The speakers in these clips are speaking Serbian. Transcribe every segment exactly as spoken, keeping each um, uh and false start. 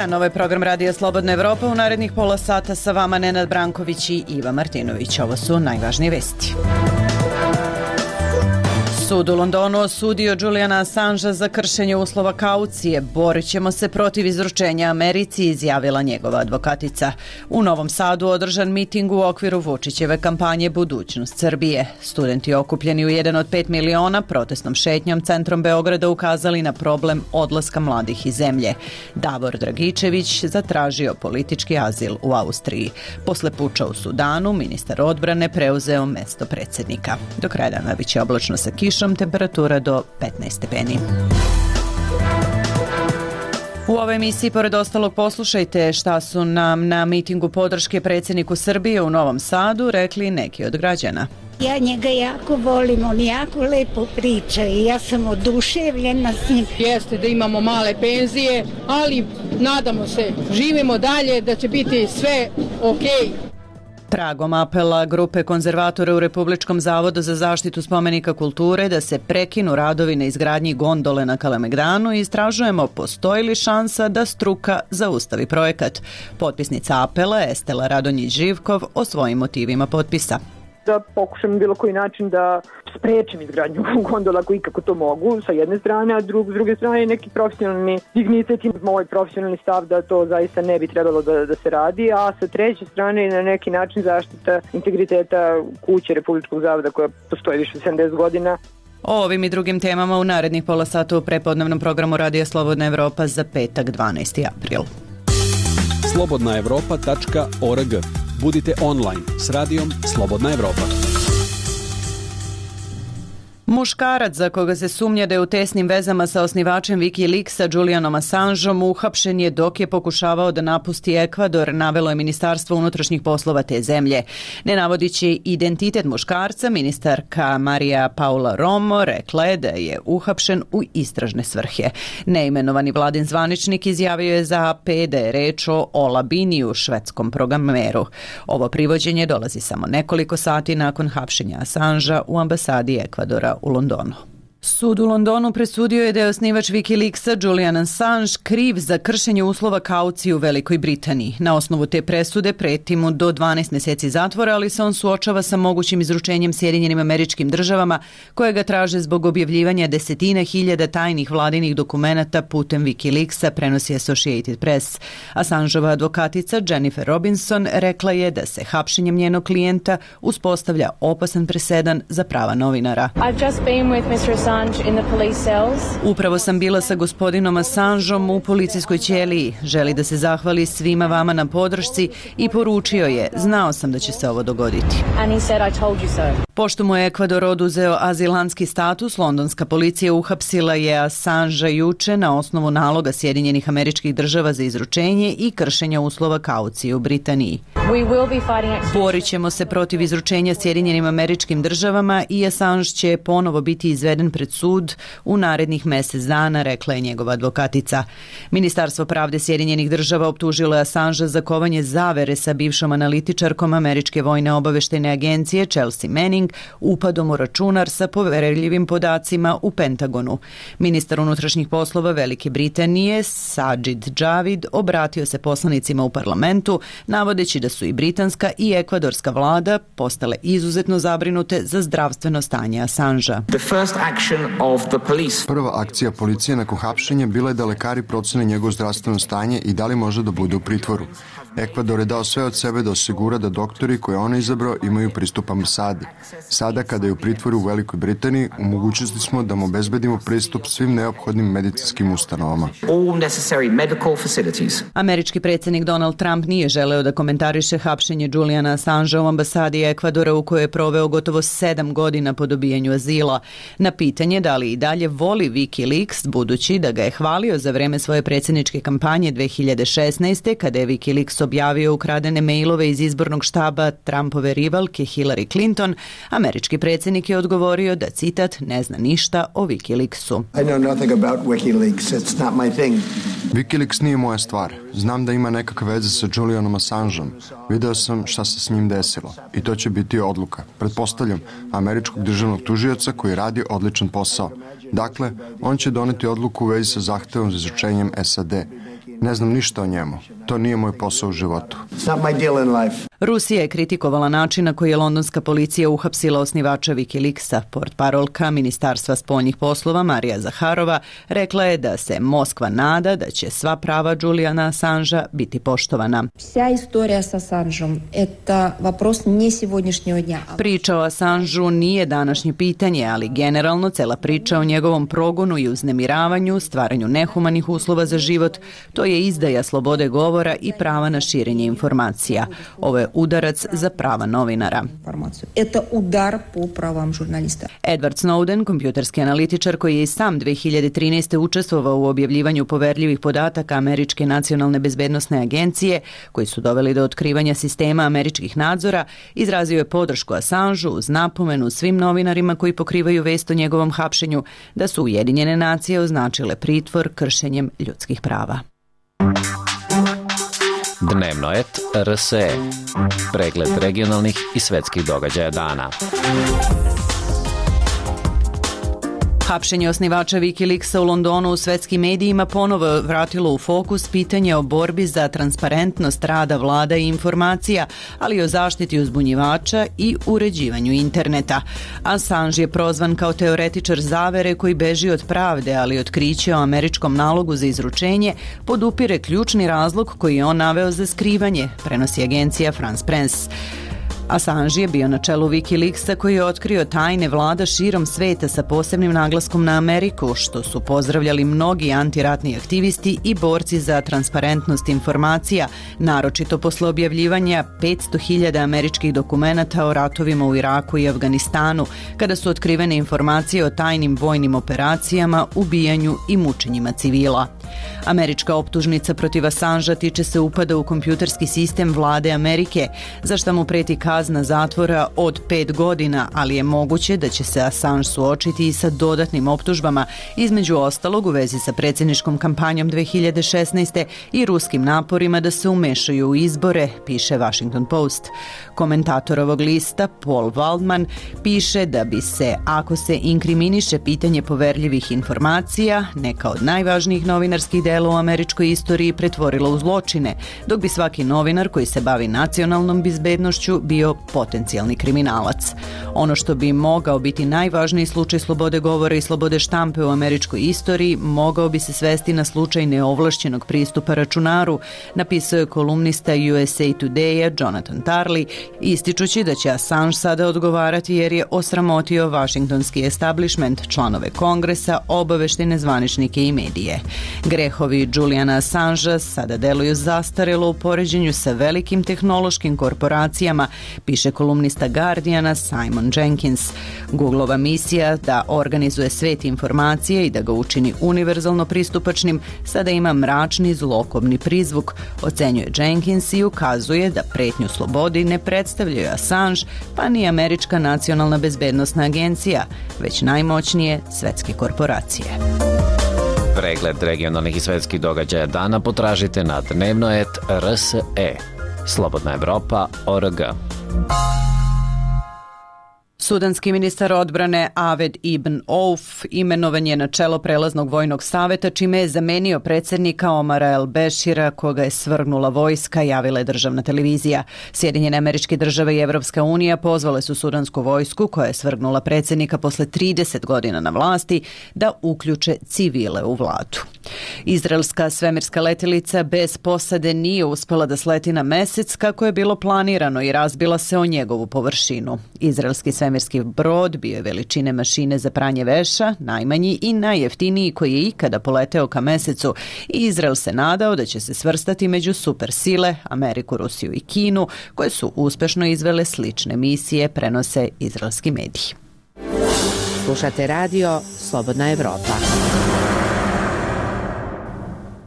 dan, ovo je program Radija Slobodna Evropa. U narednih pola sata sa vama Nenad Branković i Iva Martinović. Ovo su najvažnije vesti. Sud u Londonu osudio Juliana Assangea za kršenje uslova kaucije. Borit ćemo se protiv izručenja Americi, izjavila njegova advokatica. U Novom Sadu održan miting u okviru Vučićeve kampanje Budućnost Srbije. Studenti okupljeni u jedan od pet miliona protestnom šetnjom centrom Beograda ukazali na problem odlaska mladih iz zemlje. Davor Dragičević zatražio politički azil u Austriji. Posle puča u Sudanu, ministar odbrane preuzeo mesto predsjednika. Do kraja dana biće oblačno sa kišom, temperatura do petnaest stepeni. U ovoj emisiji, pored ostalog, poslušajte šta su nam na mitingu podrške predsjedniku Srbije u Novom Sadu rekli neki od građana. Ja njega jako volim, on jako lepo priča i ja sam oduševljena s njim. Jeste da imamo male penzije, ali nadamo se, živimo dalje, da će biti sve okej. Tragom apela grupe konzervatora u Republičkom zavodu za zaštitu spomenika kulture da se prekinu radovi na izgradnji gondole na Kalemegdanu, istražujemo postoji li šansa da struka zaustavi projekat. Potpisnica apela Estela Radonjić-Živkov o svojim motivima potpisa. Da pokušam bilo koji način da sprečim izgradnju gondola ako ikako to mogu sa jedne strane, a drug, s druge strane neki profesionalni dignitet i moj profesionalni stav da to zaista ne bi trebalo da, da se radi, a sa treće strane na neki način zaštita integriteta kuće Republičkog zavoda koja postoji više od sedamdeset godina. O ovim i drugim temama u narednih pola sata u prepodnevnom programu Radija Slobodna Evropa za petak dvanaesti april. slobodna evropa tačka org. Budite online s radijom Slobodna Evropa. Muškarac za koga se sumnja da je u tesnim vezama sa osnivačem Wikileaksa Julianom Assangeom uhapšen je dok je pokušavao da napusti Ekvador, navelo je Ministarstvo unutrašnjih poslova te zemlje. Ne navodići identitet muškarca, ministarka Marija Paula Romo rekla je da je uhapšen u istražne svrhe. Neimenovani vladin zvaničnik izjavio je za A P da je reč o Ola Biniju, švedskom programeru. Ovo privođenje dolazi samo nekoliko sati nakon hapšenja Assangea u ambasadi Ekvadora u Londonu. Sud u Londonu presudio je da je osnivač Wikileaksa Julian Assange kriv za kršenje uslova kaucije u Velikoj Britaniji. Na osnovu te presude preti mu do dvanaest mjeseci zatvora, ali se on suočava sa mogućim izručenjem Sjedinjenim Američkim Državama koje ga traže zbog objavljivanja desetina hiljada tajnih vladinih dokumenata putem Wikileaksa, prenosi Associated Press. Assangeova advokatica Jennifer Robinson rekla je da se hapšenjem njenog klijenta uspostavlja opasan presedan za prava novinara. I've just been with mister Assange in the police cells. Upravo sam bila sa gospodinom Assangeom u policijskoj ćeliji. Želi da se zahvali svima vama na podršci i poručio je, znao sam da će se ovo dogoditi. And he said, I told you so. Pošto mu je Ekvador oduzeo azilantski status, londonska policija uhapsila je Assangea juče na osnovu naloga Sjedinjenih Američkih Država za izručenje i kršenja uslova kaucije u Britaniji. We will be fighting extradition. Borit ćemo se protiv izručenja Sjedinjenim Američkim Državama i Assange će ponovo biti izveden pred sud u narednih mjesec dana, rekla je njegova advokatica. Ministarstvo pravde Sjedinjenih Država optužilo je Assangea za kovanje zavere sa bivšom analitičarkom Američke vojne obaveštajne agencije Chelsea Manning upadom u računar sa poverljivim podacima u Pentagonu. Ministar unutrašnjih poslova Velike Britanije Sajid Javid obratio se poslanicima u parlamentu navodeći da su i britanska i ekvadorska vlada postale izuzetno zabrinute za zdravstveno stanje Assangea. Prva akcija policije nakon hapšenja bila je da lekari procene njegovo zdravstveno stanje i da li može da bude u pritvoru. Ekvador je dao sve od sebe da osigura da doktori koje on izabrao imaju pristup ambasadi. Sada, kada je u pritvoru u Velikoj Britaniji, u mogućnosti smo da mu obezbedimo pristup svim neophodnim medicinskim ustanovama. Američki predsjednik Donald Trump nije želeo da komentariše hapšenje Juliana Assangea u ambasadi Ekvadora u kojoj je proveo gotovo sedam godina po dobijanju azila. Na pitanje da li i dalje voli Wikileaks, budući da ga je hvalio za vreme svoje predsjedničke kampanje dve hiljade šesnaeste. kada je Wikileaks objavio ukradene mailove iz izbornog štaba Trumpove rivalke Hillary Clinton, američki predsjednik je odgovorio da, citat, ne zna ništa o Wikileaksu. I know nothing about Wikileaks. It's not my thing. Wikileaks nije moja stvar. Znam da ima nekakve veze sa Julianom Assangeom. Video sam šta se s njim desilo. I to će biti odluka. Pretpostavljam, američkog državnog tužioca koji radi odličan posao. Dakle, on će doneti odluku u vezi sa zahtevom za izručenjem S A D. Ne znam ništa o njemu. To nije moj posao u životu. It's not my deal in life. Rusija je kritikovala način na koji je londonska policija uhapsila osnivača Wikileaksa. Portparolka Ministarstva spoljnih poslova Marija Zaharova rekla je da se Moskva nada da će sva prava Juliana Assangea biti poštovana. Vsa istorija sa Assangeom это вопрос не сегодняшнего дня. Priča o Assangeu nije današnje pitanje, ali generalno cela priča o njegovom progonu i uznemiravanju, stvaranju nehumanih uslova za život, to je izdaja slobode govora i prava na širenje informacija. Ovo je udarac za prava novinara. Это удар по правам журналиста. Edward Snowden, kompjuterski analitičar koji je i sam dve hiljade trinaeste. učestvovao u objavljivanju poverljivih podataka Američke nacionalne bezbednosne agencije, koji su doveli do otkrivanja sistema američkih nadzora, izrazio je podršku Assangeu uz napomenu svim novinarima koji pokrivaju vest o njegovom hapšenju da su Ujedinjene nacije označile pritvor kršenjem ljudskih prava. Dnevno et R S E. Pregled regionalnih i svetskih događaja dana. Hapšenje osnivača Wikileaksa u Londonu u svetskim medijima ponovo vratilo u fokus pitanje o borbi za transparentnost rada vlada i informacija, ali i o zaštiti uzbunjivača i uređivanju interneta. Assange je prozvan kao teoretičar zavere koji beži od pravde, ali otkriće o američkom nalogu za izručenje podupire ključni razlog koji je on naveo za skrivanje, prenosi agencija France Press. Assange je bio na čelu Wikileaksa koji je otkrio tajne vlada širom sveta sa posebnim naglaskom na Ameriku, što su pozdravljali mnogi antiratni aktivisti i borci za transparentnost informacija, naročito posle objavljivanja petsto hiljada američkih dokumenata o ratovima u Iraku i Afganistanu, kada su otkrivene informacije o tajnim vojnim operacijama, ubijanju i mučenjima civila. Američka optužnica protiv Assangea tiče se upada u kompjuterski sistem vlade Amerike, za šta mu preti kazna zatvora od pet godina, ali je moguće da će se Assange suočiti i sa dodatnim optužbama, između ostalog u vezi sa predsjedničkom kampanjom dve hiljade šesnaeste. i ruskim naporima da se umešaju u izbore, piše Washington Post. Komentator ovog lista, Paul Waldman, piše da bi se, ako se inkriminiše pitanje poverljivih informacija, neka od najvažnijih novinarskih dela u američkoj istoriji pretvorila u zločine, dok bi svaki novinar koji se bavi nacionalnom bezbednošću bio potencijalni kriminalac. Ono što bi mogao biti najvažniji slučaj slobode govora i slobode štampe u američkoj istoriji mogao bi se svesti na slučaj neovlašćenog pristupa računaru, napisao je kolumnista U S A Today-a Jonathan Turley, ističući da će Assange sada odgovarati jer je osramotio vašingtonski establishment, članove kongresa, obaveštene zvaničnike i medije. Grehovi Juliana Assangea sada deluju zastarelo u poređenju sa velikim tehnološkim korporacijama, piše kolumnista Guardiana Simon Jenkins. Googleova misija da organizuje svet informacije i da ga učini univerzalno pristupačnim sada ima mračni zlokobni prizvuk, ocenjuje Jenkins i ukazuje da pretnju slobodi ne predstavljaju Assange pa ni Američka nacionalna bezbednosna agencija, već najmoćnije svetske korporacije. Pregled regionalnih i svetskih događaja dana potražite na dnevno et R S E. Slobodna Evropa, O R G. Sudanski ministar odbrane Aved Ibn Auf imenovan je na čelo prelaznog vojnog saveta, čime je zamenio predsjednika Omara El Bešira, koga je svrgnula vojska, javila je državna televizija. Sjedinjene Američke Države i Evropska unija pozvale su sudansku vojsku, koja je svrgnula predsjednika posle trideset godina na vlasti, da uključe civile u vladu. Izraelska svemirska letelica bez posade nije uspela da sleti na mesec kako je bilo planirano i razbila se o njegovu površinu. Izraelski svemirski brod bio je veličine mašine za pranje veša, najmanji i najjeftiniji koji je ikada poleteo ka mesecu, i Izrael se nadao da će se svrstati među supersile Ameriku, Rusiju i Kinu, koje su uspešno izvele slične misije, prenose izraelski mediji. Slušate radio Slobodna Evropa.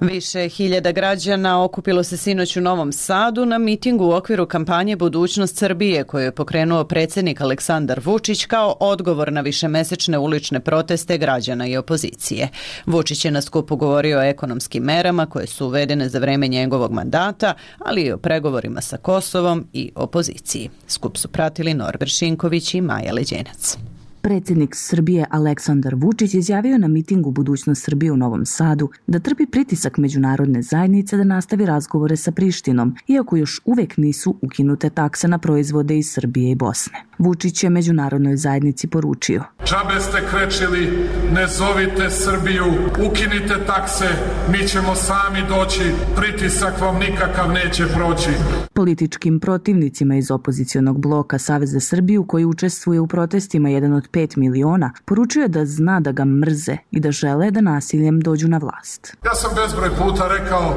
Više hiljada građana okupilo se sinoć u Novom Sadu na mitingu u okviru kampanje Budućnost Srbije koju je pokrenuo predsjednik Aleksandar Vučić kao odgovor na višemesečne ulične proteste građana i opozicije. Vučić je na skupu govorio o ekonomskim merama koje su uvedene za vreme njegovog mandata, ali i o pregovorima sa Kosovom i opoziciji. Skup su pratili Norbert Šinković i Maja Leđenac. Predsjednik Srbije Aleksandar Vučić izjavio na mitingu Budućnost Srbije u Novom Sadu da trpi pritisak međunarodne zajednice da nastavi razgovore sa Prištinom, iako još uvek nisu ukinute takse na proizvode iz Srbije i Bosne. Vučić je međunarodnoj zajednici poručio: Džabe ste krečili, ne zovite Srbiju, ukinite takse, mi ćemo sami doći, pritisak vam nikakav neće proći. Političkim protivnicima iz opozicionog bloka Savez za Srbiju, koji učestvuje u protestima jedan od pet miliona, poručuje da zna da ga mrze i da žele da nasiljem dođu na vlast. Ja sam bezbroj puta rekao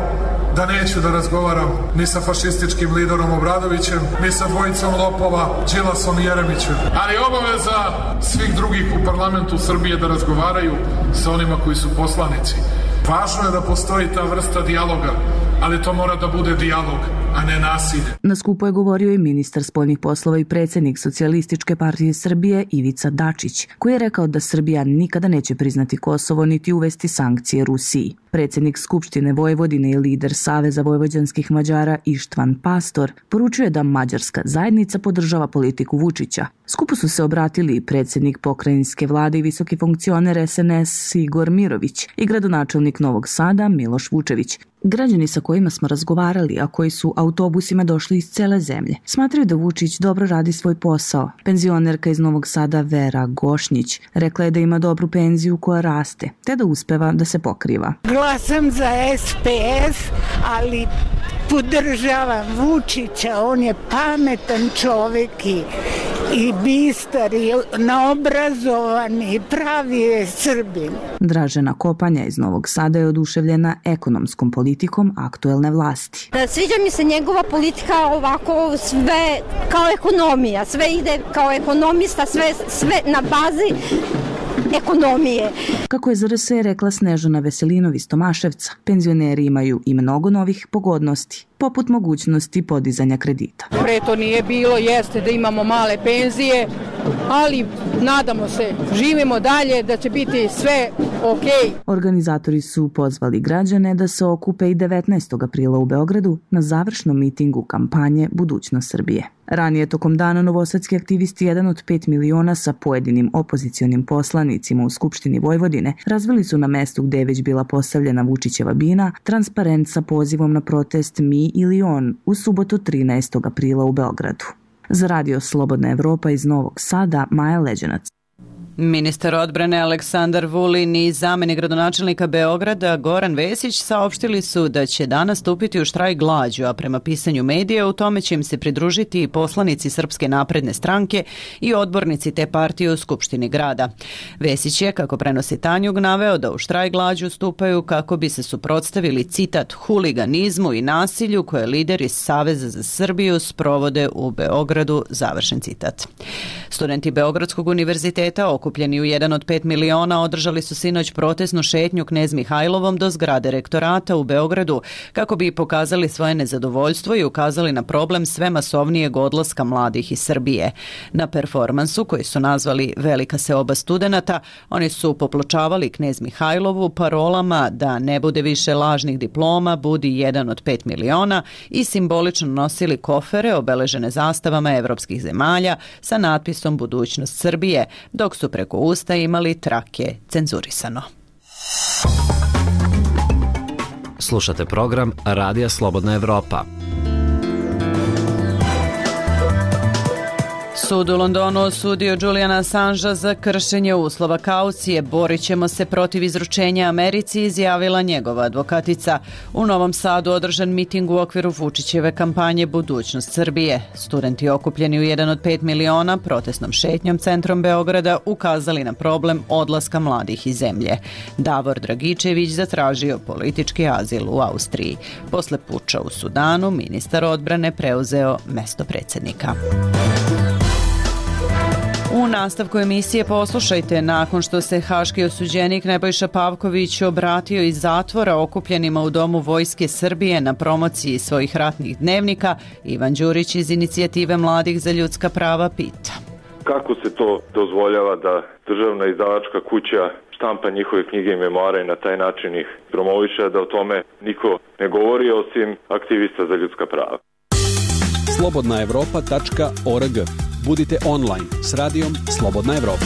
da neću da razgovaram ni sa fašističkim liderom Obradovićem, ni sa dvojicom lopova, Đilasom i Jeremićem. Ali obaveza svih drugih u parlamentu Srbije da razgovaraju sa onima koji su poslanici. Važno je da postoji ta vrsta dijaloga, ali to mora da bude dijalog, a ne nasilje. Na skupu je govorio i ministar spoljnih poslova i predsjednik Socijalističke partije Srbije Ivica Dačić, koji je rekao da Srbija nikada neće priznati Kosovo niti uvesti sankcije Rusiji. Predsjednik Skupštine Vojvodine i lider Saveza vojvođanskih Mađara Ištvan Pastor poručuje da mađarska zajednica podržava politiku Vučića. Skupu su se obratili i predsjednik pokrajinske vlade i visoki funkcioner es en es Igor Mirović i gradonačelnik Novog Sada Miloš Vučević. Građani sa kojima smo razgovarali, a koji su autobusima došli iz cele zemlje, smatraju da Vučić dobro radi svoj posao. Penzionerka iz Novog Sada Vera Gošnjić rekla je da ima dobru penziju koja raste, te da uspeva da se pokriva. Glasam za es pe es, ali podržavam Vučića, on je pametan čovjek i, i bistar i naobrazovan i pravi je Srbin. Dražena Kopanja iz Novog Sada je oduševljena ekonomskom politikom aktuelne vlasti. Sviđa mi se njegova politika, ovako sve kao ekonomija, sve ide kao ekonomista, sve, sve na bazi ekonomije. Kako je za er es e rekla Snežana Veselinov iz Tomaševca, penzioneri imaju i mnogo novih pogodnosti, poput mogućnosti podizanja kredita. Pre to nije bilo, jeste da imamo male penzije, ali nadamo se, živimo dalje, da će biti sve okej. Organizatori su pozvali građane da se okupe i devetnaestog aprila u Beogradu na završnom mitingu kampanje Budućnost Srbije. Ranije tokom dana novosadski aktivisti jedan od pet miliona sa pojedinim opozicionim poslanicima u Skupštini Vojvodine razvili su na mestu gde je već bila postavljena Vučićeva bina transparent sa pozivom na protest Mi ili on u subotu trinaestog aprila u Beogradu. Za radio Slobodna Evropa iz Novog Sada, Maja Leđenac. Ministar odbrane Aleksandar Vulin i zamenik gradonačelnika Beograda Goran Vesić saopštili su da će danas stupiti u štrajk glađu, a prema pisanju medija u tome će im se pridružiti i poslanici Srpske napredne stranke i odbornici te partije u Skupštini grada. Vesić je, kako prenosi Tanjug, naveo da u štrajk glađu stupaju kako bi se suprotstavili, citat, huliganizmu i nasilju koje lideri Saveza za Srbiju sprovode u Beogradu, završen citat. Studenti Beogradskog univerziteta okupljeni u jedan od pet miliona održali su sinoć protesnu šetnju Knez Mihajlovom do zgrade rektorata u Beogradu kako bi pokazali svoje nezadovoljstvo i ukazali na problem sve masovnijeg odlaska mladih iz Srbije. Na performansu, koji su nazvali Velika seoba studenata, oni su popločavali Knez Mihajlovu parolama da ne bude više lažnih diploma, budi jedan od pet miliona i simbolično nosili kofere obeležene zastavama evropskih zemalja sa natpisom Budućnost Srbije, dok su preko usta imali trake cenzurisano. Slušate program Radija Slobodna Evropa. Sud u Londonu osudio Juliana Assangea za kršenje uslova kaucije. Borit ćemo se protiv izručenja Americi, izjavila njegova advokatica. U Novom Sadu održan miting u okviru Vučićeve kampanje Budućnost Srbije. Studenti okupljeni u jedan od pet miliona protestnom šetnjom centrom Beograda ukazali na problem odlaska mladih iz zemlje. Davor Dragičević zatražio politički azil u Austriji. Posle puča u Sudanu, ministar odbrane preuzeo mesto predsjednika. U nastavku emisije poslušajte, nakon što se haški osuđenik Nebojša Pavković obratio iz zatvora okupljenima u Domu Vojske Srbije na promociji svojih ratnih dnevnika, Ivan Đurić iz inicijative Mladih za ljudska prava pita. Kako se to dozvoljava da državna izdavačka kuća štampa njihove knjige i memoare i na taj način ih promoviše, da o tome niko ne govori osim aktivista za ljudska prava? slobodna evropa tačka org. Budite online s radijom Slobodna Evropa.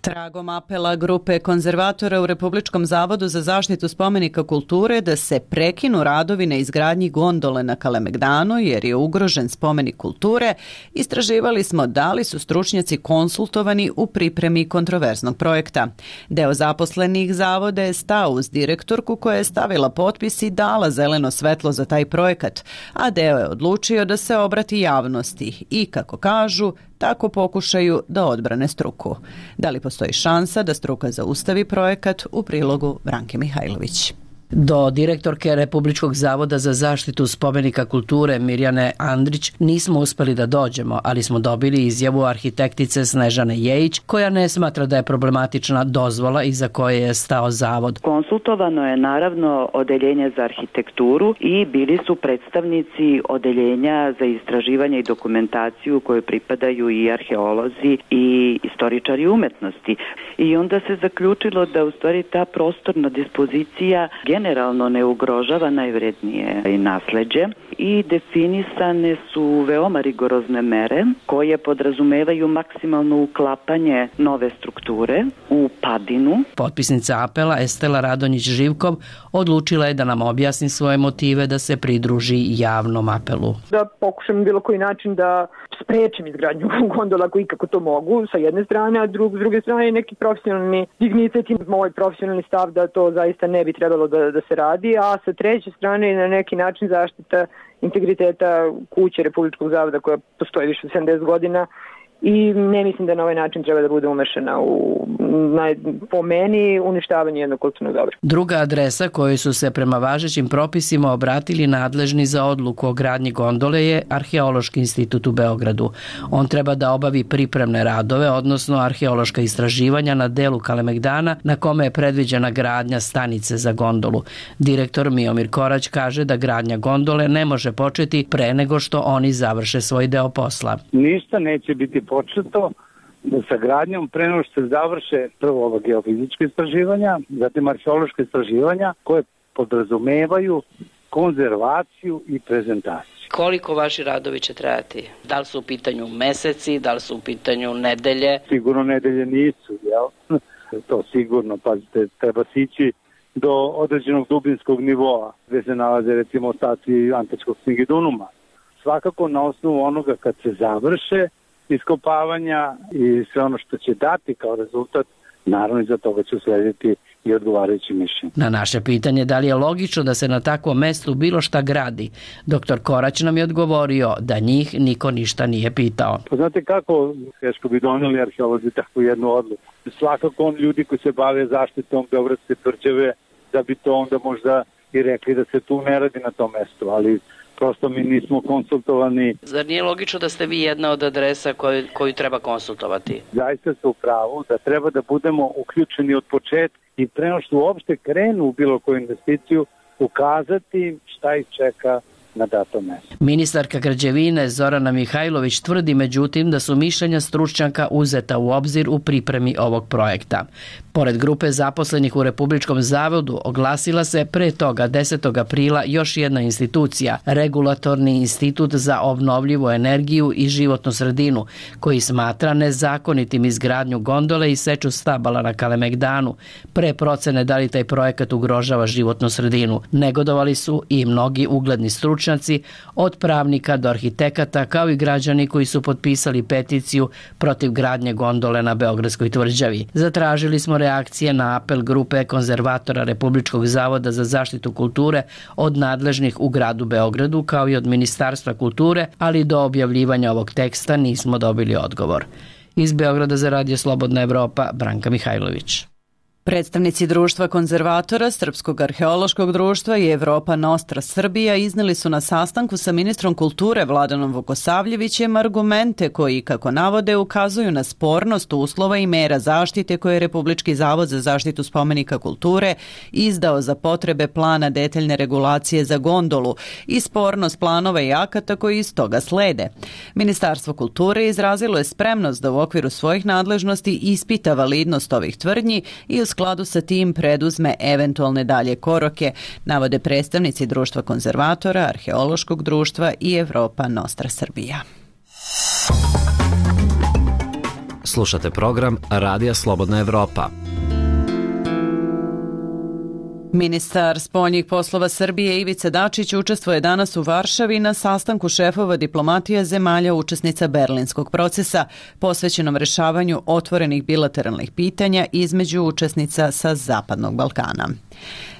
Tragom apela grupe konzervatora u Republičkom zavodu za zaštitu spomenika kulture da se prekinu radovi na izgradnji gondole na Kalemegdanu jer je ugrožen spomenik kulture, istraživali smo da li su stručnjaci konsultovani u pripremi kontroverznog projekta. Deo zaposlenih zavoda je stao uz direktorku koja je stavila potpis i dala zeleno svetlo za taj projekat, a deo je odlučio da se obrati javnosti i, kako kažu, tako pokušaju da odbrane struku. Da li postoji šansa da struka zaustavi projekat? U prilogu Branke Mihajlović. Do direktorke Republičkog zavoda za zaštitu spomenika kulture Mirjane Andrić nismo uspeli da dođemo, ali smo dobili izjavu arhitektice Snežane Jejić, koja ne smatra da je problematična dozvola iza koje je stao zavod. Konsultovano je naravno odeljenje za arhitekturu i bili su predstavnici odeljenja za istraživanje i dokumentaciju koje pripadaju i arheolozi i istoričari umetnosti. I onda se zaključilo da u stvari ta prostorna dispozicija generalno ne ugrožava najvrednije i nasleđe i definisane su veoma rigorozne mere koje podrazumevaju maksimalno uklapanje nove strukture u padinu. Potpisnica apela Estela Radonjić-Živkov odlučila je da nam objasni svoje motive da se pridruži javnom apelu. Da pokušam bilo koji način da sprečim izgradnju gondola ako ikako to mogu sa jedne strane, a drug, s druge strane neki profesionalni dignitet i moj profesionalni stav da to zaista ne bi trebalo da, da se radi, a sa treće strane na neki način zaštita integriteta kuće Republičkog zavoda koja postoji više od sedamdeset godina i ne mislim da na ovaj način treba da bude umešana u, na, po meni, uništavanje jednog kulturnog dobra. Druga adresa kojoj su se prema važećim propisima obratili nadležni za odluku o gradnji gondole je Arheološki institut u Beogradu. On treba da obavi pripremne radove, odnosno arheološka istraživanja na delu Kalemegdana na kome je predviđena gradnja stanice za gondolu. Direktor Miomir Korać kaže da gradnja gondole ne može početi pre nego što oni završe svoj deo posla. Ništa neće biti početo sa gradnjom pre nego što se završe prvo ova geofizička istraživanja, zatim arheološka istraživanja koje podrazumevaju konzervaciju i prezentaciju. Koliko vaši radovi će trajati? Da li su u pitanju meseci, da li su u pitanju nedelje? Sigurno nedelje nisu, jel? To sigurno, pazite, treba sići do određenog dubinskog nivoa gde se nalaze recimo ostaci antičkog Singidunuma. Svakako na osnovu onoga kad se završe iskopavanja i sve ono što će dati kao rezultat, naravno iza toga će uslediti i odgovarajući mišljenje. Na naše pitanje da li je logično da se na takvom mestu bilo šta gradi, doktor Korać nam je odgovorio da njih niko ništa nije pitao. Pa znate kako teško bi doneli arheolozi takvu jednu odluku. Svakako on ljudi koji se bave zaštitom Beogradske tvrđave da bi to onda možda i rekli da se tu ne radi na tom mestu, ali prosto mi nismo konsultovani. Zar nije logično da ste vi jedna od adresa koju, koju treba konsultovati? Zaista ste u pravu da treba da budemo uključeni od početka i pre nego što uopšte krenu u bilo koju investiciju ukazati šta ih čeka na datom mestu. Ministarka građevine Zorana Mihajlović tvrdi međutim da su mišljenja stručnjaka uzeta u obzir u pripremi ovog projekta. Pored grupe zaposlenih u Republičkom zavodu oglasila se pre toga desetog aprila još jedna institucija, Regulatorni institut za obnovljivu energiju i životnu sredinu, koji smatra nezakonitim izgradnju gondole i seču stabala na Kalemegdanu, pre procene da li taj projekat ugrožava životnu sredinu. Negodovali su i mnogi ugledni stručnjaci, od pravnika do arhitekata, kao i građani koji su potpisali peticiju protiv gradnje gondole na Beogradskoj tvrđavi. Zatražili smo reakcije na apel grupe konzervatora Republičkog zavoda za zaštitu kulture od nadležnih u gradu Beogradu kao i od Ministarstva kulture, ali do objavljivanja ovog teksta nismo dobili odgovor. Iz Beograda za Radio Slobodna Evropa, Branka Mihajlović. Predstavnici društva konzervatora, Srpskog arheološkog društva i Evropa Nostra Srbija izneli su na sastanku sa ministrom kulture Vladanom Vukosavljevićem argumente koji, kako navode, ukazuju na spornost uslova i mera zaštite koje je Republički zavod za zaštitu spomenika kulture izdao za potrebe plana detaljne regulacije za gondolu i spornost planova i akata koji iz toga slede. Ministarstvo kulture izrazilo je spremnost da u okviru svojih nadležnosti ispita validnost ovih tvrdnji i u skladu sa tim preduzme eventualne dalje korake, navode predstavnici Društva konzervatora, Arheološkog društva i Evropa Nostra Srbija. Slušate program Radija Slobodna Evropa. Ministar spoljnih poslova Srbije Ivica Dačić učestvuje danas u Varšavi na sastanku šefova diplomatija zemalja učesnica Berlinskog procesa posvećenom rešavanju otvorenih bilateralnih pitanja između učesnica sa Zapadnog Balkana.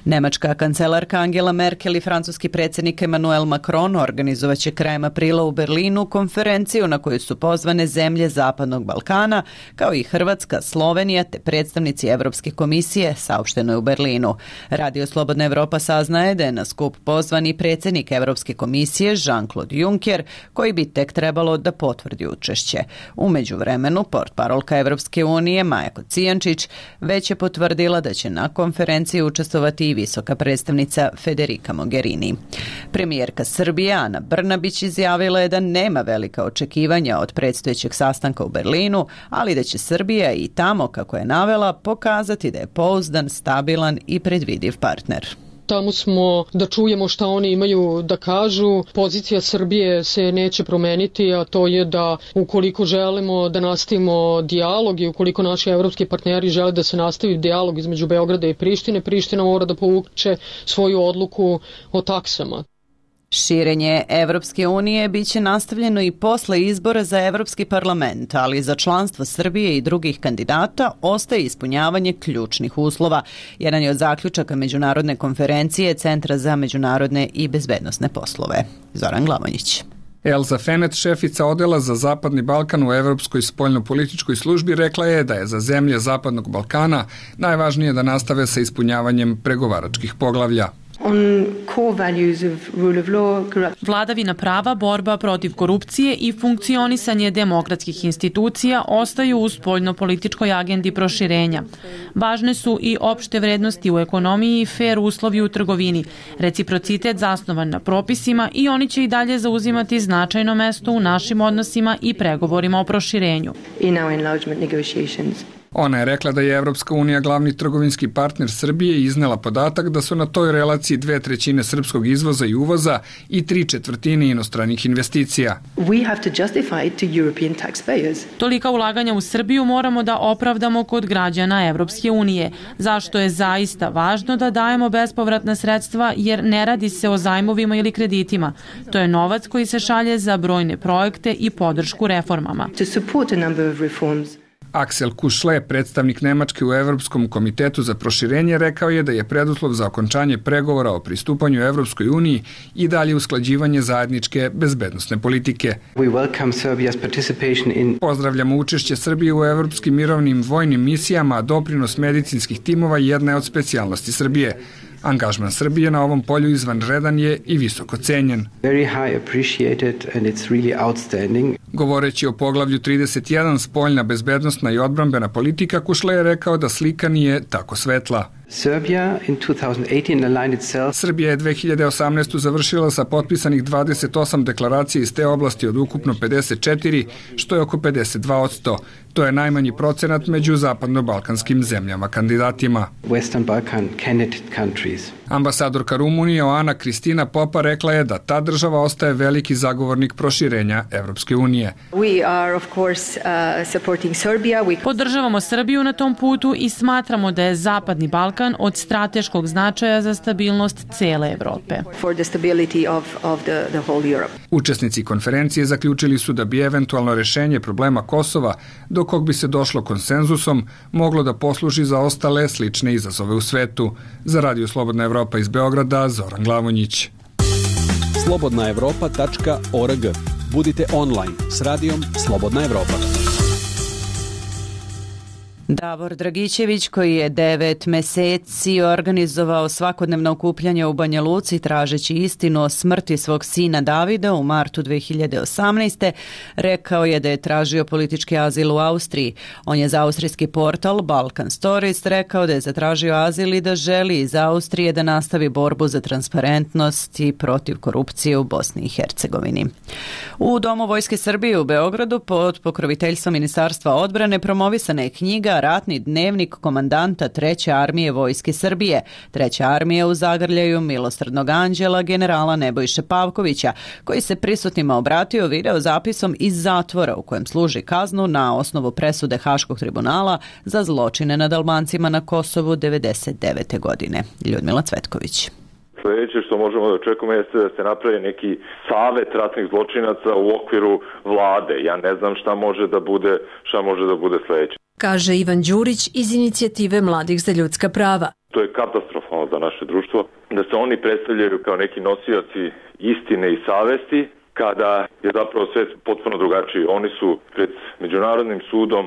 Nemačka kancelarka Angela Merkel i francuski predsjednik Emmanuel Macron organizovaće krajem aprila u Berlinu konferenciju na koju su pozvane zemlje Zapadnog Balkana, kao i Hrvatska, Slovenija te predstavnici Evropske komisije, saopšteno je u Berlinu. Radio Slobodna Evropa saznaje da je na skup pozvan i predsjednik Evropske komisije Jean-Claude Juncker, koji bi tek trebalo da potvrdi učešće. U međuvremenu, portparolka Evropske unije Maja Kocijančić već je potvrdila da će na konferenciji učestvovati i visoka predstavnica Federica Mogherini. Premijerka Srbije Ana Brnabić izjavila je da nema velika očekivanja od predstojećeg sastanka u Berlinu, ali da će Srbija i tamo, kako je navela, pokazati da je pouzdan, stabilan i predvidiv partner. Tamo smo da čujemo šta oni imaju da kažu. Pozicija Srbije se neće promeniti, a to je da ukoliko želimo da nastavimo dijalog i ukoliko naši evropski partneri žele da se nastavi dijalog između Beograda i Prištine, Priština mora da povuče svoju odluku o taksama. Širenje Evropske unije biće nastavljeno i posle izbora za Evropski parlament, ali za članstvo Srbije i drugih kandidata ostaje ispunjavanje ključnih uslova. Jedan je od zaključaka Međunarodne konferencije Centra za međunarodne i bezbednosne poslove. Zoran Glavonjić. Elza Fenet, šefica odela za Zapadni Balkan u Evropskoj spoljnopolitičkoj službi, rekla je da je za zemlje Zapadnog Balkana najvažnije da nastave sa ispunjavanjem pregovaračkih poglavlja. Vladavina prava, borba protiv korupcije i funkcionisanje demokratskih institucija ostaju u spoljnopolitičkoj agendi proširenja. Važne su i opšte vrednosti u ekonomiji i fer uslovi u trgovini, reciprocitet zasnovan na propisima i oni će i dalje zauzimati značajno mesto u našim odnosima i pregovorima o proširenju. Ona je rekla da je Evropska unija glavni trgovinski partner Srbije i iznela podatak da su na toj relaciji dve trećine srpskog izvoza i uvoza i tri četvrtine inostranih investicija. Tolika ulaganja u Srbiju moramo da opravdamo kod građana Evropske unije, zašto je zaista važno da dajemo bespovratna sredstva jer ne radi se o zajmovima ili kreditima. To je novac koji se šalje za brojne projekte i podršku reformama. Aksel Kušle, predstavnik Nemačke u Evropskom komitetu za proširenje, rekao je da je preduslov za okončanje pregovora o pristupanju Evropskoj uniji i dalje usklađivanje zajedničke bezbednosne politike. Pozdravljamo učešće Srbije u evropskim mirovnim vojnim misijama, a doprinos medicinskih timova jedna je od specijalnosti Srbije. Angažman Srbije na ovom polju izvanredan je i visoko cenjen. Govoreći o poglavlju trideset jedan, spoljna bezbednosna i odbrambena politika, Kušle je rekao da slika nije tako svetla. Srbija je dve hiljade osamnaeste. završila sa potpisanih dvadeset osam deklaracija iz te oblasti od ukupno pedeset četiri, što je oko pedeset dva posto. To je najmanji procenat među zapadno-balkanskim zemljama kandidatima. Ambasadorka Rumunije Oana Kristina Popa rekla je da ta država ostaje veliki zagovornik proširenja Evropske unije. Podržavamo Srbiju na tom putu i smatramo da je Zapadni Balkan od strateškog značaja za stabilnost cele Evrope. Učesnici konferencije zaključili su da bi eventualno rešenje problema Kosova, do kog bi se došlo konsenzusom, moglo da posluži za ostale slične izazove u svetu. Za Radio Slobodna Evropa iz Beograda, Zoran Glavonjić. slobodna evropa tačka org. Budite online s radijom Slobodna Evropa. Davor Dragićević, koji je devet meseci organizovao svakodnevno okupljanje u Banja Luci tražeći istinu o smrti svog sina Davida u martu dve hiljade osamnaeste. rekao je da je tražio politički azil u Austriji. On je za austrijski portal Balkan Stories rekao da je zatražio azil i da želi iz Austrije da nastavi borbu za transparentnost i protiv korupcije u Bosni i Hercegovini. U Domu Vojske Srbije u Beogradu pod pokroviteljstvom Ministarstva odbrane promovisana je knjiga ratni dnevnik komandanta treće armije Vojske Srbije. Treća armija u zagrljaju milosrdnog anđela generala Nebojše Pavkovića, koji se prisutnima obratio video zapisom iz zatvora u kojem služi kaznu na osnovu presude Haškog tribunala za zločine nad Albancima na Kosovu devedeset devete. godine. Ljudmila Cvetković. Sljedeće što možemo da očekujemo jeste da se napravi neki savet ratnih zločinaca u okviru vlade. Ja ne znam šta može da bude, šta može da bude sljedeće. Kaže Ivan Đurić iz inicijative Mladih za ljudska prava. To je katastrofalno za naše društvo, da se oni predstavljaju kao neki nosioci istine i savesti, kada je zapravo svet potpuno drugačiji. Oni su pred Međunarodnim sudom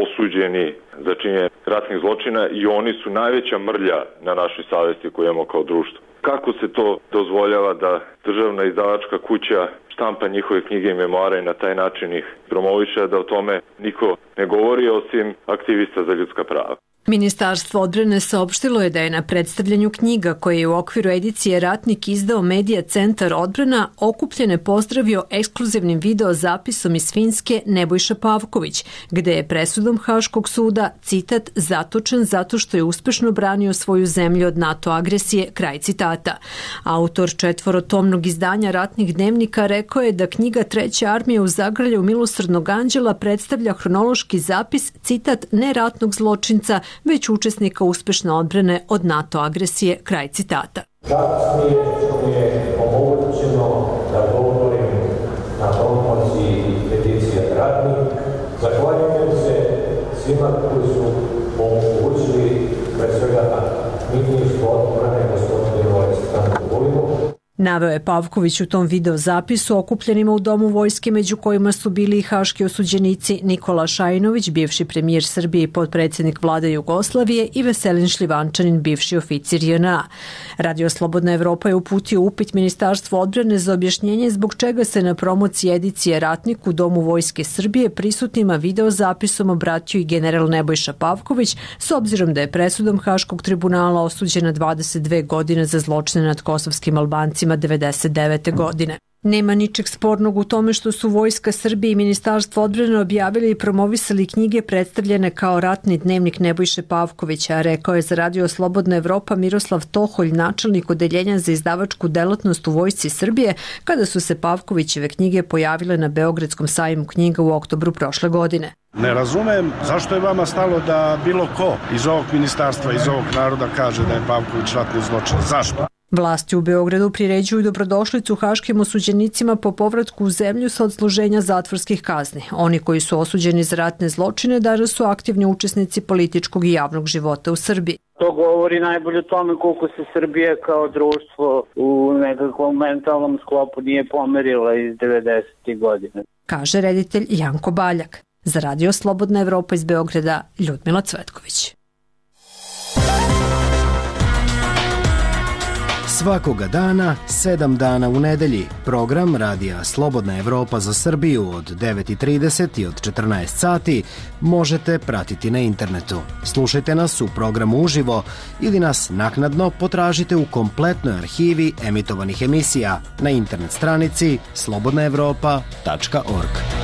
osuđeni za činjenje ratnih zločina i oni su najveća mrlja na našoj savesti koju imamo kao društvo. Kako se to dozvoljava da državna izdavačka kuća štampa njihove knjige i memoare i na taj način ih promoviše, da o tome niko ne govori osim aktivista za ljudska prava? Ministarstvo odbrane saopštilo je da je na predstavljanju knjiga koje je u okviru edicije Ratnik izdao Medija centar odbrana okupljene pozdravio ekskluzivnim video zapisom iz Finske Nebojša Pavković, gde je presudom Haškog suda, citat, zatočen zato što je uspešno branio svoju zemlju od NATO agresije, kraj citata. Autor četvorotomnog izdanja ratnih dnevnika rekao je da knjiga Treće armije u zagrljaju milosrdnog anđela predstavlja hronološki zapis, citat, ne ratnog zločinca, već učesnika uspešne odbrane od NATO agresije, kraj citata. Čast mi je što mi je omogućeno da govorim na promociji peticije Ratnik. Zahvaljujem se svima koji su omogućili pre svega na ministru odbrane gospodinu Aleksandru Vulinu. Naveo je Pavković u tom video zapisu okupljenima u Domu vojske, među kojima su bili i haški osuđenici Nikola Šajinović, bivši premijer Srbije i potpredsjednik vlade Jugoslavije, i Veselin Šljivančanin, bivši oficir J N A. Radio Slobodna Evropa je uputio upit Ministarstvu odbrane za objašnjenje zbog čega se na promociji edicije Ratnik u Domu vojske Srbije prisutnima video zapisom obratio i general Nebojša Pavković, s obzirom da je presudom Haškog tribunala osuđena dvadeset dve godine za zločine nad kosovskim Albancima devedeset devete. godine. Nema ničeg spornog u tome što su Vojska Srbije i Ministarstvo odbrane objavili i promovisali knjige predstavljene kao ratni dnevnik Nebojše Pavkovića, rekao je za Radio Slobodna Evropa Miroslav Toholj, načelnik odeljenja za izdavačku delatnost u Vojsci Srbije, kada su se Pavkovićeve knjige pojavile na Beogradskom sajmu knjiga u oktobru prošle godine. Ne razumem zašto je vama stalo da bilo ko iz ovog ministarstva, iz ovog naroda kaže da je Pavković ratni zločin. Zašto? Vlasti u Beogradu priređuju dobrodošlicu haškim osuđenicima po povratku u zemlju sa odsluženja zatvorskih kazni. Oni koji su osuđeni za ratne zločine danas su aktivni učesnici političkog i javnog života u Srbiji. To govori najbolje o tome koliko se Srbija kao društvo u nekakvom mentalnom sklopu nije pomerila iz devedesetih godina. Kaže reditelj Janko Baljak. Za Radio Slobodna Evropa iz Beograda, Ljudmila Cvetković. Svakoga dana, sedam dana u nedelji, program Radija Slobodna Evropa za Srbiju od devet i trideset i od četrnaest sati možete pratiti na internetu. Slušajte nas u programu uživo ili nas naknadno potražite u kompletnoj arhivi emitovanih emisija na internet stranici slobodna evropa tačka org.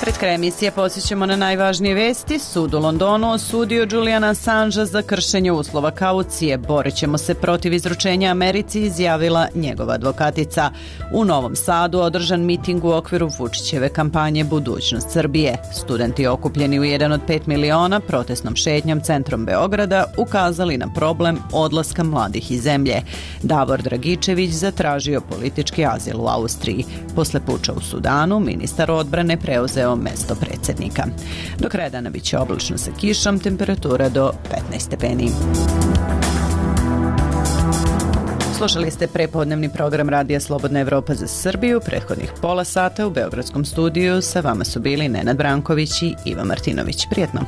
Pred kraj emisije posjećamo na najvažnije vesti. Sud u Londonu osudio Juliana Assangea za kršenje uslova kaucije. Borit ćemo se protiv izručenja Americi, izjavila njegova advokatica. U Novom Sadu održan miting u okviru Vučićeve kampanje Budućnost Srbije. Studenti okupljeni u jedan od pet miliona protestnom šetnjom centrom Beograda ukazali na problem odlaska mladih iz zemlje. Davor Dragičević zatražio politički azil u Austriji. Posle puča u Sudanu, ministar odbrane preuzeo mesto predsjednika. Do kraja dana biće oblačno sa kišom, temperatura do petnaest stepeni. Slušali ste prepodnevni program Radija Slobodna Evropa za Srbiju. Prethodnih pola sata u Beogradskom studiju sa vama su bili Nenad Branković i Iva Martinović. Prijetno!